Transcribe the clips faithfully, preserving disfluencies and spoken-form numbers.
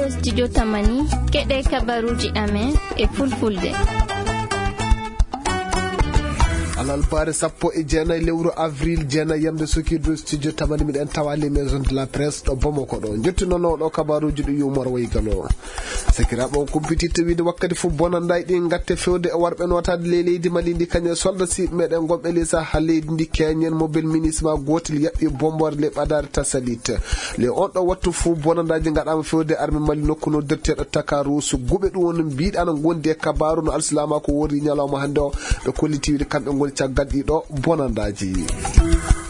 Studio Tamani, keɗe kabaruji amen e fulfulde. Alalbaare sappo e jeenayi lewru avril, jeenayi yamde sukiidu, studio Tamani, miɗen tawa les maisons de la presse ɗo Bamako ɗo. Jottinoono ɗo kabaruji ɗi yumor wayi galo. Sakiraaɓe, on kumpititta wiide wakkati fof bonandaji ɗi gatte fewde e warɓe notaade ley leydi Mali ndi, kañum e soldat si meɗen gonɓe ley saha leydi ndi keñen mobile minisma gotel yaɓɓi bombore ley ɓadaare Tasalit. Le on ɗo wattu fof bonandaji gaɗama fewde arme Mali nokku noddirteɗo Takarusu. Guɓe ɗum woni mbiɗa no gondi e kabaru no alsilama ko wori ñalawma hannde o. Ɓe kolliti wiide kamɓe ngoni caggal ɗiɗo bonandaji.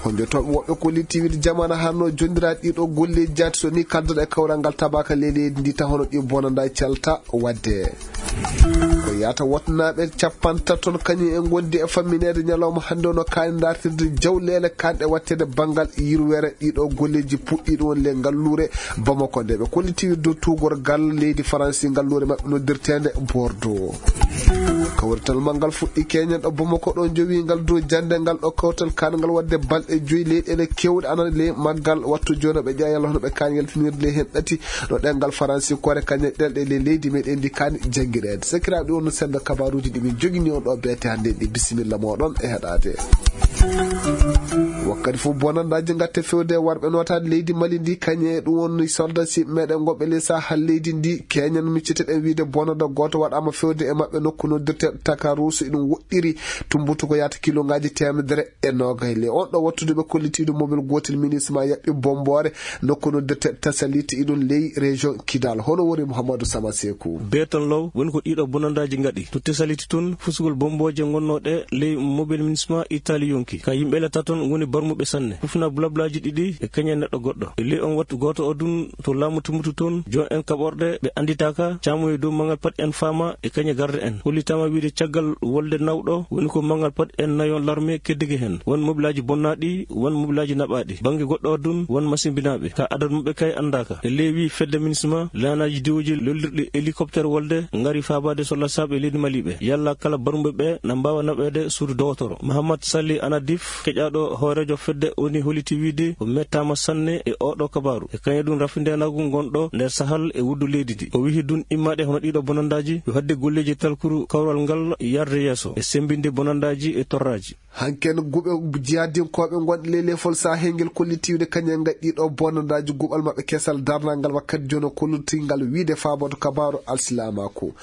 Honjotoɓe woɓɓe kolliti wiide jamana hanno jondiraɗi ɗiɗo golleji jaati so ni kaldoɗo e kawral ngal tabaka ley leydi ndi ta hono ɗi bonandaji calta wadde. Ko yata wotnaaɓe capantato ton kañum en gondi e fammineede ñalawma hannde o no kaani dartirde jawleele kanɗe wattede banngal yirwere ɗiɗo golleji puɗɗiɗo won le ngalluure Bamako nde. Ɓe kolliti dow tuugorgal leydi Faransi ngalluure maɓɓe noddirteende Bordeaux. Kawrital manngal fuɗɗi keñen ɗo Bamako ɗo jowi ngal dow jannde ngal ɗo kawtal kangal wadde balɗe joyi leyɗeele kewɗe ana ley maggal wattu jono ɓe ƴeewa yalla hono ɓe kaani yaltinirde ley hen ɗati. No ɗengal faransi kore kañe ɗelɗe ley leydi meɗen ndi kaani janngireede. Sakiraaɓe, ɗi wonno semmbe kabaruuji ɗi min jogini on ɗo beete hannde ɗi. Bisimilla mooɗon e heɗaade. Wakkati fof bonandaaji ngatte fewde warɓe nootaade leydi Mali ndi, kañe ɗum woni soldat si meɗen gonɓe ley saha leydi ndi. Keñan micceteɗen wiide bonanda gooto waɗaama fewde e maɓɓe nokku noddirteeɗo Takarusu, iɗum woɗɗiri tumbutu ko yaata kilongaaji teemedere e noogay. Le on ɗo wattude ɓe kollitiiɗo mobile gootel minisma yaɓɓi bomboore nokku noddirteeɗo Tasaliti iɗum ley région Kidal. Hono woni Mouhamadou Sama Sekou. Beetan law woni ko ɗiɗo bonandaaji ngaɗi. To Tasaliti tun, fusugol bombooje ngonnooɗe ley mobile minisma Itali yonki. Ka yimɓe le taton ngoni barmuɓe sanne. Fufna blablaaji ɗiɗi e kañe neɗɗo goɗɗo. E ley on wattu gooto o dun to laamu tumbutu ton, jon en kaɓorɗe ɓe anditaaka, caamoye dow mangal pat en faama e kañe garde en. Hollitaama wiide caggal wolde nawɗo woni ko mangal pat en nayon larme keddike hen. Won mobilaaji bonnaaɗi, won mobilaaji naɓaaɗi. Bannge goɗɗo o dun, won masimbinaaɓe. Ka adadu maɓɓe kay andaaka. E ley wi fedde minisma, laanaaji diwooji lollirɗi hélicoptère wolde ngari faabaade solla saaɓe leydi Mali ɓe. Yalla kala barmuɓe ɓe na mbaawa naɓeede suudu dogotoro. Mahamat Sali Anadif, keƴaaɗo hooreejo fedde woni holliti wiide o mettaama sanne e oɗo kabaaru. E kañe ɗum rafindeenaagu ngonɗo nder sahal e wuddu leydi ndi. O wihi dun immaade hono ɗiɗo bonandaaji yo hadde golleeji talkuru kawral ngal yarde yeeso e sembinde bonandaaji e torraaji. Hanken guɓe jihadinkooɓe ngonɗe ley lefol sahel ngel kollitiiwde kañum en ngaɗi ɗiɗo bonandaaji guɓal maɓɓe kesal darnal ngal wakkati jono kollutingal wiide faaboto kabaaru alsilaamaaku.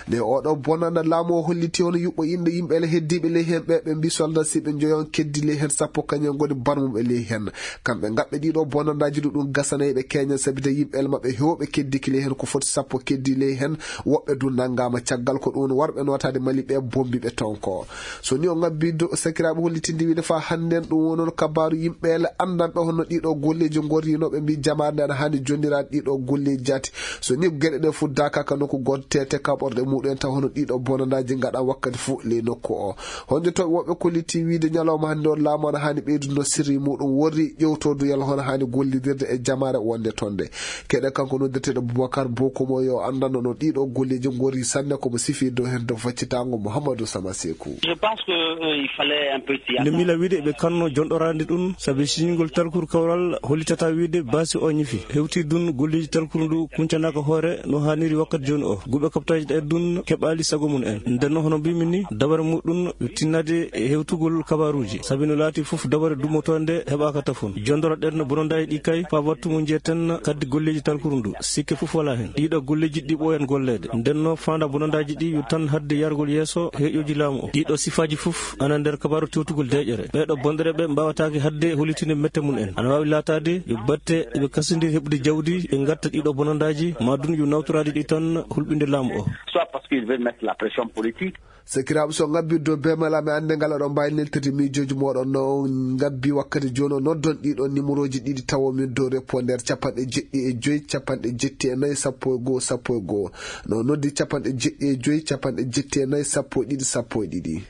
Nde oɗo bonanda laamu o holliti hono yuɓɓo inɗo yimɓe ele heddiiɓe ley hen ɓe, ɓe mbi soldat si ɓe joyon keddi ley hen sappo kañum en ngoni barmuɓe ley hen. Kamɓe ngaɓɓe ɗiɗo bonandaaji ɗuɗum gasanay ɓe keñan sabi de yimɓe ele maɓɓe hewɓe keddiki ley hen ko foti sappo keddi ley hen. Woɓɓe du nangama caggal ko ɗum warɓe notaade Mali ɓe bombi ɓe tonko. So ni o ngabbi do sakiraaɓe hollitinde wiide fa hannden ɗum wonon kabaaru yimɓe ele andanɓe hono ɗiɗo golleeji ngorrinoɓe mbi jamaare nde ana hani jonniraade ɗiɗo golleeji jaati. So ni geɗe ɗe fuddaka ka nokku goto tete kaɓorɗe muɗum en taw hono ɗiɗo bonandaaji ngaɗa wakkati fof ley nokku o. Honjotoɓe woɓɓe kolliti wiide ñalawma hannde on laamu ana hani ɓeydude no sirri muɗum worri ƴewtodu yalla hono hani gollidirde e jamaare wonde tonde. Keɗe kanko noddeteɗo Boubacar Bokomo yo andanno no ɗiɗo golleeji ngorri sanne komo sifi dow hen dow faccitango Mouhamadou Sama Sekou. Je pense que, euh, il fallait un peu s'y attendre. Nde mila wiide ɓe kanno jonɗorande ɗum sabi siñingol talkuru kawral hollitata wiide basi o ñifi. Hewti dun golleeji talkuru ndu kuncanaka hoore no haniri wakkati joni o. Guɓe kaptaji ɗe dun keɓali sago mum en. Ndenno hono mbimi ni dabare muɗum yo tinnade e hewtugol kabaruji. Sabi no laati fof dabare dumotonde heɓaka tafon. Jondoro ɗen bonondaji ɗi kay fa wattu mo jiyeten kaddi golleeji talkuru ndu. Sikke fof wala hen. Ɗiɗo golleeji ɗi ɓooyan golleede. Ndenno fanda bonondaji ɗi yo tan hadde yargol yeeso heƴoji laamu o. Ɗiɗo sifaji fof ana nder kabaru tewtugol deƴere. Ɓeɗo bonɗere ɓe mbawatake hadde hollitinde mette mum en. Ana wawi laatade yo batte ɓe kasidi heɓude jawdi ɓe gatta ɗiɗo bonondaji ma dun yo nawtorade ɗi tan hulɓinde laamu o. Soit parce qu'ils veulent mettre la pression politique. Sakiraaɓe, so ngabbi dow bemala mi annde ngal oɗon mbawi neltirde miijoji moɗon no ngabbi wakkati joni o noddon ɗiɗo numéroji ɗiɗi tawo min dow répondeur capanɗe jeɗɗi e joyi capanɗe jetti e nayi sappo e goho sappo e goho. No noddi capanɗe jeɗɗi e joyi capanɗe jetti e nayi sappo e ɗiɗi sappo e ɗiɗi.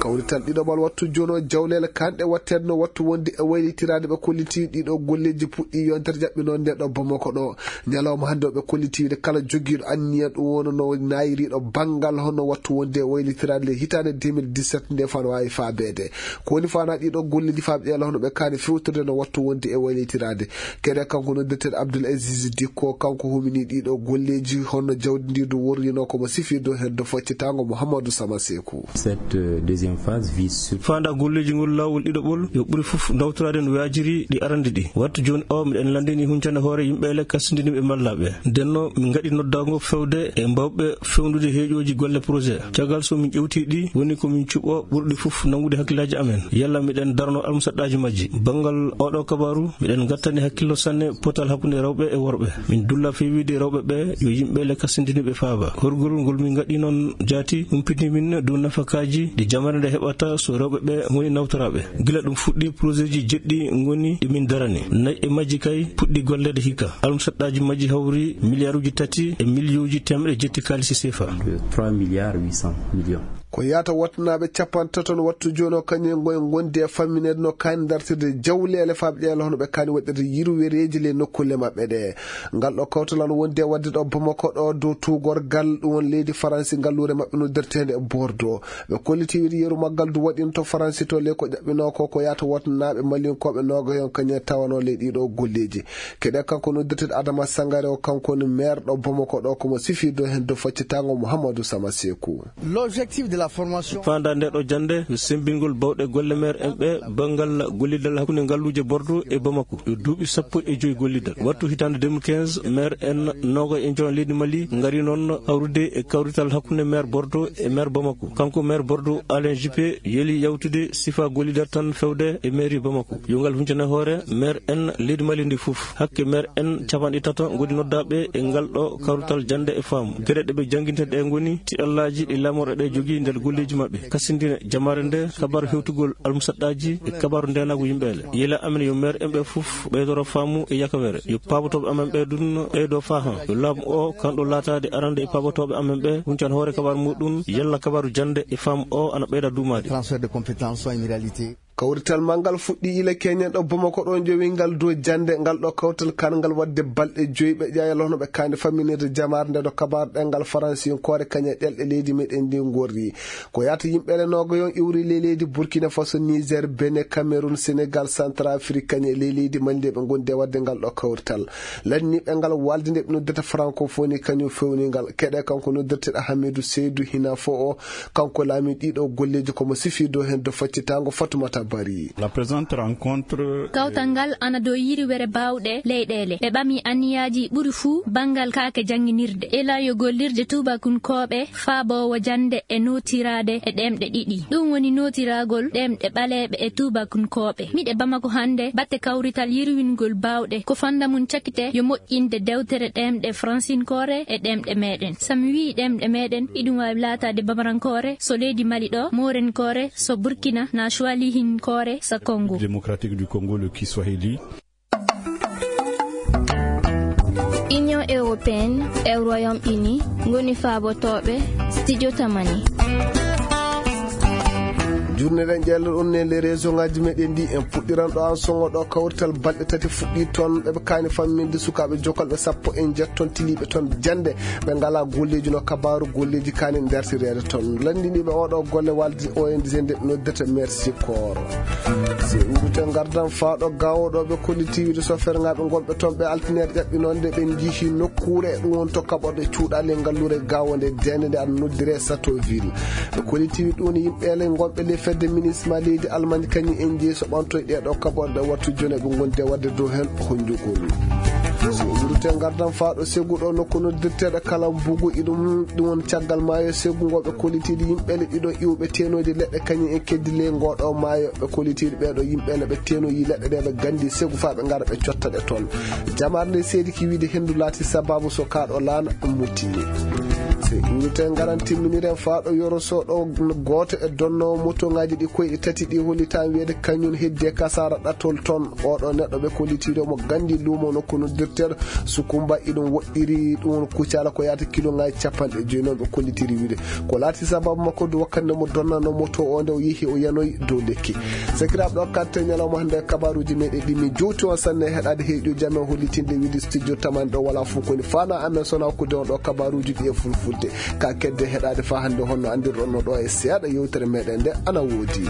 Kawri Tal ɗiɗo ɓal wattu jono jawleele kanɗe watteede no wattu wonde e waylitiraade ɓe kolliti ɗiɗo golleeji puɗɗi yontere jaɓɓinoonde ɗo Bamako ɗo. Ñalawma hannde o ɓe kolliti wiide kala jogiiɗo anniya ɗum wona no naayiriiɗo banngal hono wattu wonde e waylitiraade le hitaande deux mille dix-sept nde fano waawi faabeede. Ko woni fana ɗiɗo golleeji faaɓe ɗeela hono ɓe kaani fewtorde no wattu wonde e waylitiraade. Kede kanko noddirteeɗo Abdoul Aziz Dikko, kanko humini ɗiɗo golleeji hono jawdi ndi du worrino ko mo sifirdo heddo foccitaango Mouhamadou Sama Sekou. Cette, euh, deuxième phase vise sur Fanda golleeji ngol laawol ɗiɗo ɓol yo ɓuri fof ndawtoraade no waajiri ɗi arande ɗi. Wattu jooni o miɗen lanndini huncande hoore yimɓe ele kasindiniɓe mallaaɓe. Ndenno min ngaɗi noddaango fewde e mbawɓe fewndude heeƴooji golle projet. Caggal so min ƴewti ɗi woni ko min cuɓo ɓurɗi fof nanngude hakkillaaji amen. Yalla miɗen darno almusaɗɗaaji majji. Banngal oɗo kabaaru miɗen ngattani hakkillo sanne potal hakkunde rewɓe e worɓe. Min dulla fewiide rewɓe ɓe yo yimɓe le kasindiniɓe faaba. Horgol ngol min ngaɗi noon jaati humpiti min dow nafakaaji ɗi jamare nde heɓata so rewɓe ɓe ngoni nawtoraaɓe. Gila ɗum fuɗɗi projet ji jeɗɗi ngoni ɗi min darani. Nayi e majji kay puɗɗi golleede hikka. Almusaɗɗaaji majji hawri miliyaaruuji tati e miliyooji teemɗe jetti kaalisi sefa. Trois milliards huit cents millions. Ko yaata wattanaaɓe capantato no wattu jooni o kañum e ngoye ngondi e fammineede no kaani dartirde jawleele faaɓe ƴeela hono ɓe kaani waɗirde yirwereeji ley nokkulle maɓɓe ɗe. Ngal ɗo kawtal ana wondi e waɗde ɗo Bamako ɗo dow tuugorgal ɗum won leydi Faransi ngalluure maɓɓe noddirteende e Bordeaux. Ɓe kolliti wiide yeru maggal du waɗino to Faransi to ley ko ƴaɓɓinoo ko ko yaata wattanaaɓe malinkooɓe noogayon kañum e tawanoo ley ɗiɗo golleeji. Keɗe kanko noddirteeɗo Adama Sangare o kanko woni maire ɗo Bamako ɗo ko mo sifirdo heen do foccitaango Mouhamadou Sama Sekou. L'objectif de la formation. Faanda nde ɗo jannde yo semmbingol bawɗe golle maire en ɓe banngal gollidal hakkunde ngalluuje Bordeaux e Bamako yo duuɓi sappo e joyi gollidal. Wattu hitaande deux mille quinze maire en noogo e joon leydi Mali ngari noon hawrude e kawrital hakkunde maire Bordeaux e maire Bamako. Kanko maire Bordeaux Alain Juppé yeli yawtude sifa gollidal tan fewde e mairie Bamako. Yo ngal huncane hoore maire en leydi Mali ndi fof. Hakke maire en capanɗe tato ngoni noddaaɓe e ngal ɗo kawrital jannde e faamu. Geɗe ɗe ɓe jannginte ɗe ngoni tiɗallaaji ɗi laamorɗe ɗe jogii nder golleeji maɓɓe. Kasindine jamaare nde kabaaru hewtugol almusaɗɗaaji e kabaaru ndeenaagu yimɓe ele. Yila amen yo maire en ɓe fof ɓeydoro faamu e yakawere. Yo paabotooɓe amen ɓe ɗum ɓeydo faahan. Yo laamu o kanɗo laataade arande e paabotooɓe amen ɓe huncan hoore kabaaru muɗum yalla kabaaru jannde e faamu o ana ɓeyda duumaade. Transfert de compétences soit une réalité. Kawrital ma ngal fuɗɗi ila keñen ɗo Bamako ɗo jowi ngal dow jannde ngal ɗo kawtal kan ngal waɗde balɗe joyi ɓe ƴaayal hono ɓe kaani famminirde jamaare nde ɗo kabaar ɗengal faransinkoore kañe ɗelɗe leydi meɗen ndi ngorri. Ko yaata yimɓe le noogo yon iwri ley leydi Burkina Faso, Niger, Benin, Cameroun, Sénégal, Centrafrique kañe ley leydi Mali nde ɓe ngondi e waɗde ngal ɗo kawrital. Lanniɓe ngal walde nde ɓe noddata francophonie kañum fewni ngal. Keɗe kanko noddirteɗo Hamidou Seydou hina fo o kanko laami ɗiɗo golleeji komo sifido heen do faccitango Fatoumata Bari. La présente rencontre. Kawtal ngal ana dow yiriwere baawɗe leyɗeele. Ɓe ɓami anniyaaji ɓuri fuu banngal kaake jannginirde. Ela yo gollirde tuubakunkooɓe faaboowo jannde e nootiraade e ɗemɗe ɗiɗi. Ɗum woni nootiragol ɗemɗe ɓaleeɓe e tuubakunkooɓe. Miɗe Bamako hannde batte kawrital yirwingol baawɗe. Ko fannda mum cakite yo moƴƴinde dewtere ɗemɗe fransinkoore e ɗemɗe meɗen. So mi wii ɗemɗe meɗen, iɗum waawi laataade bamarankoore, so leydi Mali ɗo, moorenkoore, so Burkina, na Swahilihinkoore, so Congo. Démocratique du Congo, le Kiswahili. Union européenne e Royaume Uni ngoni faabotooɓe Studio Tamani. Jurneɗen ƴeello ɗum ne le réseau ngaji meɗen ndi en puɗɗiran ɗo an songo ɗo kawrital balɗe tati fuɗɗi toon ɓeɓe kaani famminde sukaaɓe jokalɓe sappo e jeetto toon tiliiɓe toon jannde ɓe ngala golleeji no kabaaru golleeji kaani dartireede toon. Lanndiniiɓe oɗo golle walde O N G nde ɓe noddata Mercy Corps. Si en ndutte ngardan faaɗo gawo ɗo ɓe kolliti wiide sofeerngaaɓe ngonɓe toon ɓe altineede ƴaɓɓinoonde ɓe njihi nokkuure ɗum won to kaɓorɗe cuuɗaali e ngalluure gawo nde deende nde ana noddire Satoville. Ɓe kolliti wiide ɗum woni yimɓe ele ngonɓe ley fedde minisma leydi Almaañ kañum en jeyi so ɓantoy ɗeɗo kaɓorɗe wattu jone ɓe ngondi e waɗde dow heen honjugol. Ndutte ngardan faaɗo segu ɗo nokku noddirteɗo kala mbugu iɗum ɗum won caggal maayo segu ngo ɓe kollitiiɗi yimɓe le ɗiɗo iwɓe tenoji leɗɗe kañum en keddi ley ngoɗo maayo ɓe kollitiiɗi ɓeɗo yimɓe le ɓe tenoyi leɗɗe ɗe ɓe gandi segu fa ɓe ngara ɓe cotta ɗe toon. Jamar nde seedi ki wiide hendu laati sababu so kaɗo laana mutti. Unité ngaran timminiren faaɗo yoro soɗo. Gooto e donno motoŋaaji ɗi koyɗe tati ɗi hollitaa wiyeede kañum heddi e kasaara ɗatol ton. Oɗo neɗɗo ɓe kollitiri mo gandi luumo no kono dirter sukumba iɗum woɗɗiri ɗum kucala ko yaata kiloŋaaji capanɗe joyi noon ɓe kollitiri wiide ko laati sababu makko du wakkati nde mo donnano moto o nde o yehi o yanoyi dow lekki. Sakiraaɓe ɗo katte ñalawma hannde kabaruuji meɗen ɗi min jowti on sanne heɗaade heeƴo jam e hollitinde wiide studio taman ɗo wala fof koni fana amen sona ko de on ɗo kabaruuji ɗi e fulfulde ka kedde heɗaade fa hannde honno anndirɗon no ɗo e seeɗa yewtere meɗen nde ana woodi.